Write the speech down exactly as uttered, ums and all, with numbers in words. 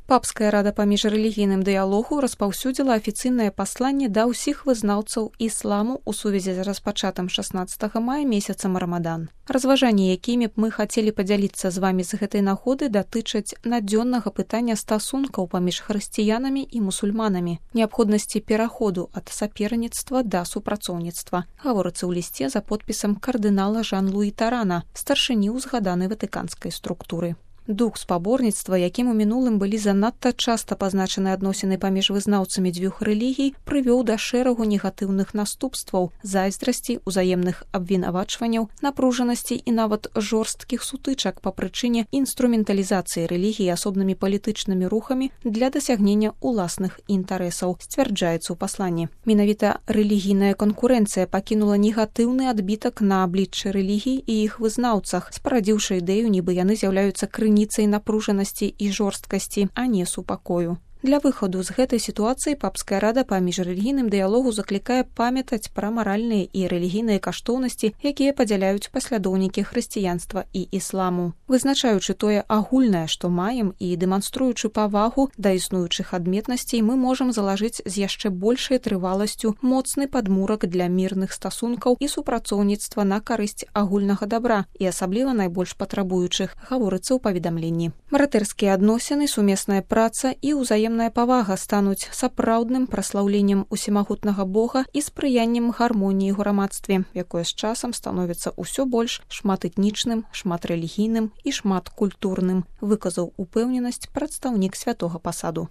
Папская рада па міжрэлігійным дыялогу распаўсюдзіла афіцыйнае пасланне да ўсіх вызнаўцаў ісламу ў сувязі з распачатым шаснаццатага мая месяцам Рамадан. Разважанні, якімі б мы хацелі падзяліцца з вамі з гэтай нагоды, датычаць надзённага пытання стасункаў паміж хрысціянамі і мусульманамі, неабходнасці пераходу ад саперніцтва да супрацоўніцтва, гаворыцца ў лісце за подпісам кардынала Жан-Луі Тарана, старшыні ўзгаданай ватыканскай структуры. Дух спаборніцтва, якім у мінулым былі занадта часта пазначаны адносіны паміж вызнаўцамі дзвюх рэлігій, прывёў да шэрагу негатыўных наступстваў, зайздрасці, узаемных абвінавачванняў, напружанасці і нават жорсткіх сутычак па прычыне інструменталізацыі рэлігіі асобнымі палітычнымі рухамі для дасягнення ўласных інтарэсаў, сцвярджаецца ў пасланні. Менавіта рэлігійная канкурэнцыя пакінула негатыўны адбітак на абліччы рэлігій і іх вызнаўцах, спарадзіўшы ідэю, нібы яны з'яўляюцца крыніцай напружанасці і жорсткасці, а не супакою. Для выхаду з гэтай сітуацыі Папская рада па міжрэлігійным дыялогу заклікае памятаць пра маральныя і рэлігійныя каштоўнасці, якія падзяляюць паслядоўнікі хрысціянства і ісламу. Вызначаючы тое агульнае, што маем, і дэманструючы павагу да існуючых адметнасцей, мы можам залажыць з яшчэ большай трываласцю моцны падмурак для мірных стасункаў і супрацоўніцтва на карысць агульнага дабра і асабліва найбольш патрабуючых, гаворыцца ў паведамленні. Братэрскія адносіны, сумесная праца і ўзаемная павага стануць сапраўдным праслаўленнем усімагутнага Бога і спрыяннем гармоніі ў грамадстве, якое з часам становіцца ўсё больш шматэтнічным, шматрэлігійным і шматкультурным, выказаў упэўненасць прадстаўнік святога пасаду.